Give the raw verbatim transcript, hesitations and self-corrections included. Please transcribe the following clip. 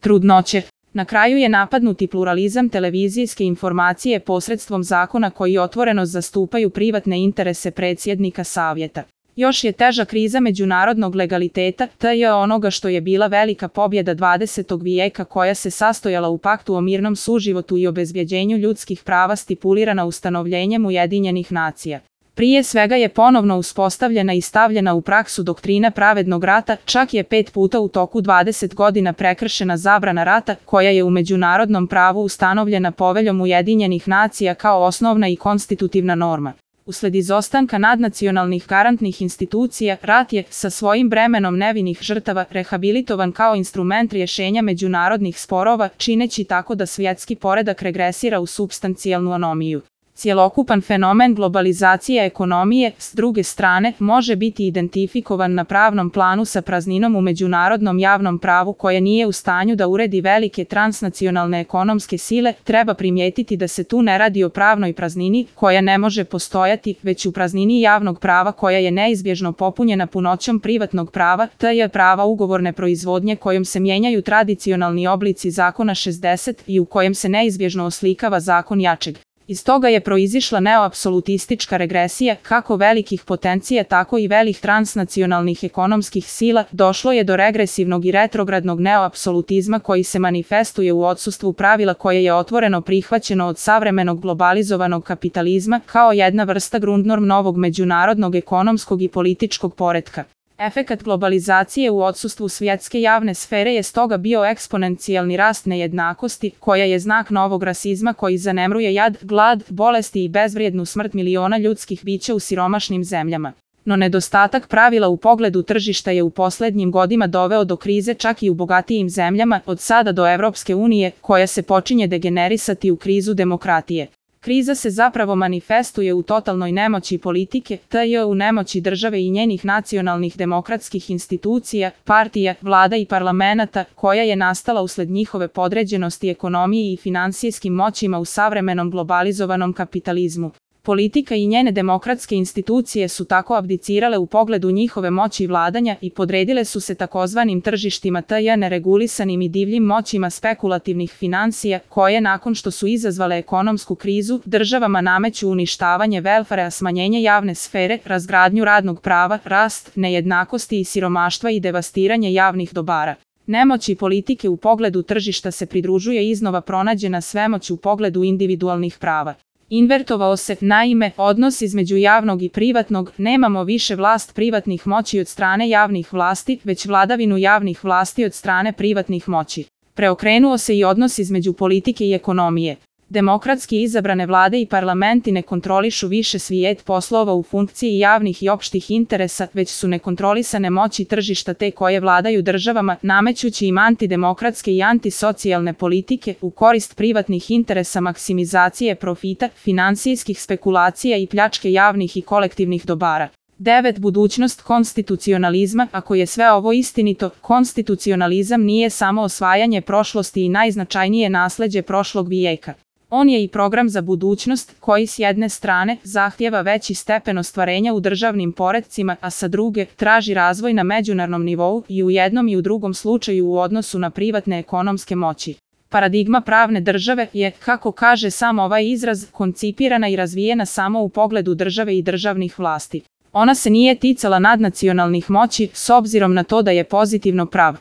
trudnoće. Na kraju je napadnuti pluralizam televizijske informacije posredstvom zakona koji otvoreno zastupaju privatne interese predsjednika Savjeta. Još je teža kriza međunarodnog legaliteta, te je onoga što je bila velika pobjeda dvadesetog vijeka koja se sastojala u paktu o mirnom suživotu i obezbjeđenju ljudskih prava stipulirana ustanovljenjem Ujedinjenih nacija. Prije svega je ponovno uspostavljena i stavljena u praksu doktrina pravednog rata, čak je pet puta u toku dvadeset godina prekršena zabrana rata, koja je u međunarodnom pravu ustanovljena Poveljom Ujedinjenih nacija kao osnovna i konstitutivna norma. Usled izostanka nadnacionalnih garantnih institucija, rat je, sa svojim bremenom nevinih žrtava, rehabilitovan kao instrument rješenja međunarodnih sporova, čineći tako da svjetski poredak regresira u supstancijalnu anomiju. Cjelokupan fenomen globalizacije ekonomije, s druge strane, može biti identifikovan na pravnom planu sa prazninom u međunarodnom javnom pravu koja nije u stanju da uredi velike transnacionalne ekonomske sile. Treba primijetiti da se tu ne radi o pravnoj praznini koja ne može postojati, već u praznini javnog prava koja je neizbježno popunjena punoćom privatnog prava, te je prava ugovorne proizvodnje kojom se mijenjaju tradicionalni oblici zakona šezdeset i u kojem se neizbježno oslikava zakon jačeg. Iz toga je proizišla neoapsolutistička regresija, kako velikih potencija tako i velih transnacionalnih ekonomskih sila. Došlo je do regresivnog i retrogradnog neoapsolutizma koji se manifestuje u odsustvu pravila koje je otvoreno prihvaćeno od savremenog globalizovanog kapitalizma kao jedna vrsta grundnorm novog međunarodnog ekonomskog i političkog poretka. Efekat globalizacije u odsustvu svjetske javne sfere je stoga bio eksponencijalni rast nejednakosti, koja je znak novog rasizma koji zanemruje jad, glad, bolesti i bezvrijednu smrt miliona ljudskih bića u siromašnim zemljama. No nedostatak pravila u pogledu tržišta je u posljednjim godinama doveo do krize čak i u bogatijim zemljama, od sada do Evropske unije, koja se počinje degenerisati u krizu demokratije. Kriza se zapravo manifestuje u totalnoj nemoći politike, te je u nemoći države i njenih nacionalnih demokratskih institucija, partija, vlada i parlamenata, koja je nastala usled njihove podređenosti ekonomiji i finansijskim moćima u savremenom globalizovanom kapitalizmu. Politika i njene demokratske institucije su tako abdicirale u pogledu njihove moći vladanja i podredile su se takozvanim tržištima te neregulisanim i divljim moćima spekulativnih finansija, koje nakon što su izazvale ekonomsku krizu, državama nameću uništavanje welfarea, smanjenje javne sfere, razgradnju radnog prava, rast nejednakosti i siromaštva i devastiranje javnih dobara. Nemoći politike u pogledu tržišta se pridružuje iznova pronađena svemoć u pogledu individualnih prava. Invertovao se, naime, odnos između javnog i privatnog, nemamo više vlast privatnih moći od strane javnih vlasti, već vladavinu javnih vlasti od strane privatnih moći. Preokrenuo se i odnos između politike i ekonomije. Demokratski izabrane vlade i parlamenti ne kontrolišu više svijet poslova u funkciji javnih i opštih interesa, već su nekontrolisane moći tržišta te koje vladaju državama, namećući im antidemokratske i antisocijalne politike u korist privatnih interesa, maksimizacije profita, finansijskih spekulacija i pljačke javnih i kolektivnih dobara. devet. Budućnost konstitucionalizma. Ako je sve ovo istinito, konstitucionalizam nije samo osvajanje prošlosti i najznačajnije nasleđe prošlog vijeka. On je i program za budućnost, koji s jedne strane zahtjeva veći stepen ostvarenja u državnim poretcima, a sa druge traži razvoj na međunarodnom nivou i u jednom i u drugom slučaju u odnosu na privatne ekonomske moći. Paradigma pravne države je, kako kaže sam ovaj izraz, koncipirana i razvijena samo u pogledu države i državnih vlasti. Ona se nije ticala nadnacionalnih moći, s obzirom na to da je pozitivno prav.